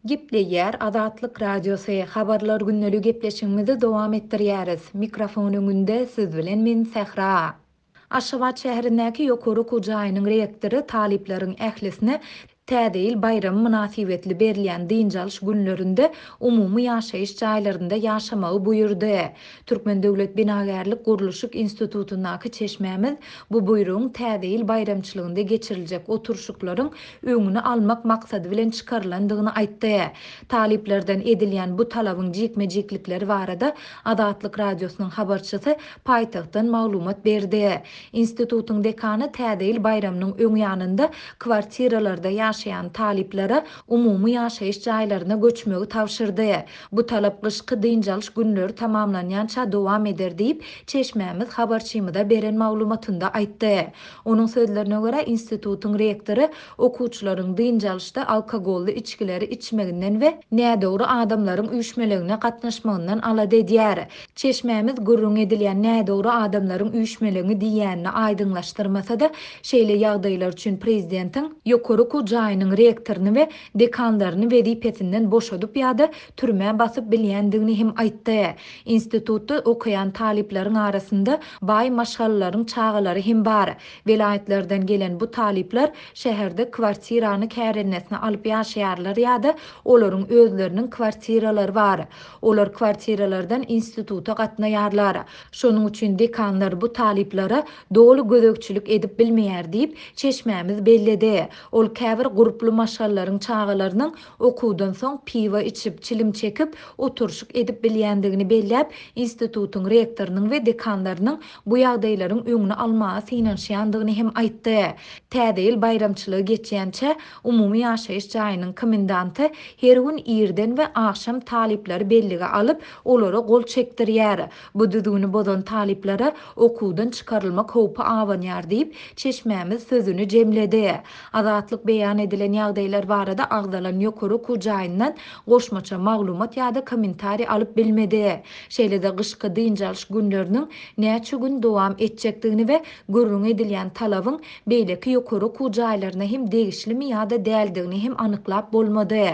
Gepleýär Azatlyk Radiosy, Habarlar gündeligi gepleşigimizi dowam etdirýäris. Mikrofon öňünde siz bilen men Sähra. Aşgabat şäherindäki ýokary okuw jaýynyň rektory talyplaryň ählisine Täze ýyl baýramy mynasybetli berilýän dynç alyş günlerinde umumy ýaşaýyş jaýlarynda ýaşamagy buýurdy. Türkmen döwlet binagärlik-gurluşyk institutyndaky çeşmämiz bu buýrugyň Täze ýyl baýramçylygynda geçiriljek oturyşyklaryň öňüni almak maksady bilen çykarylandygyny aýtdy. Talyplardan edilýän bu talabyň jikme-jiklikleri barada Azatlyk Radiosynyň habarçysy paýtagtdan maglumat berdi. Institutyň dekany Täze ýyl baýramynyň öň ýanynda kwartiralarda ýaşaýan talyplara umumy ýaşaýyş jaýlaryna göçmegi tabşyrdy. Bu talap gyşky dynç alyş günleri tamamlanýança dowam eder diýip, çeşmämiz habarçymyza beren maglumatynda aýtdy. Onuň sözlerine görä, institutyň rektory okuwçylaryň dynç alyşda alkogolly içgileri içmeginden we nädogry adamlaryň üýşmeleňine gatnaşmagyndan alada edýär. Çeşmämiz gürrüň edilýän nädogry adamlaryň üýşmeleňi diýýänini aýdyňlaşdyrmasa-da, şeýle ýagdaýlar üçin prezidentiň ýokary okuw jaýynyň rektoryny we dekanlaryny wezipesinden boşadyp ýa-da türmä basyp bilýändigini hem aýtdy. Institutda okaýan talyplaryň arasynda baý maşgalalaryň çagalary hem bar. Welaýatlardan gelen bu talyplar şäherde kwartirany kärendesyna alyp ýaşaýarlar ýa-da olaryň özleriniň kwartiralary bar. Olar kwartiralardan instituta gatnaýarlar. Şonuň üçin dekanlar bu talyplara doly gözegçilik edip bilmeýär diýip, çeşmämiz belledi. Ol käbir gurply maşgalalaryň çagalarynyň okuwdan soň piwo içip, çilim çekip, oturyşyk edip bilýändigini belläp, institutyň rektorynyň we dekanlarynyň bu ýagdaýlaryň öňüni almaga synanyşýandygyny hem aýtdy. Täze ýyl baýramçylygy geçýänçä, umumy ýaşaýyş jaýynyň komendanty her gün irden we agşam talyplary bellige alyp, olara gol çekdirýär. Bu düzgüni bozan talyplara okuwdan çykarylmak howpy abanýar diýip, çeşmämiz sözüni jemledi. Azatlyk beýan edilen ýagdaýlar barada agzalan ýokary okuw jaýyndan goşmaça maglumat ýa-da kommentariý alyp bilmedi. Şeýle-de gyşky dynç alyş günleriniň näçe gün dowam etjekdigini we gürrüň edilýän talabyň beýleki ýokary okuw jaýlaryna hem degişlimi ýa-da däldigini hem anyklap bolmady.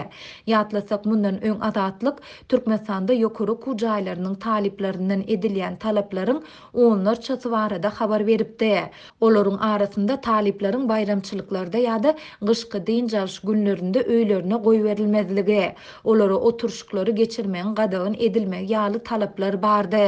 Ýatlasak, mundan öň Azatlyk Türkmenistanda ýokary okuw jaýlarynyň talyplaryndan edilýän talaplaryň onlarçasy barada habar beripdi. Olaryň arasynda talyplaryň baýramçylyklarda ýa-da gyşky dynç alyş günlerinde öýlerine goýberilmezligi, olara oturyşyklary geçirmegiň gadagan edilmegi ýaly talaplar bardy.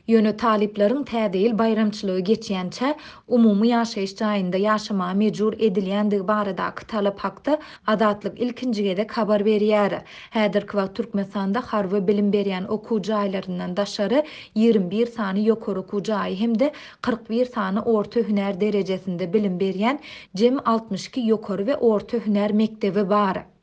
Ýöne talyplaryň Täze ýyl baýramçylygy geçýänçä umumy ýaşaýyş jaýynda ýaşamaga mejbur edilýändigi baradaky talap hakda Azatlyk ilkinji gezek habar berýär. Häzirki wagt Türkmenistanda harby bilim berýän okuw jaýlaryndan daşary 21 sany ýokary okuw jaýy hem-de 41 sany orta hünär derejesinde bilim berýän jemi 62 ýokary we orta hünär mekdebi bar.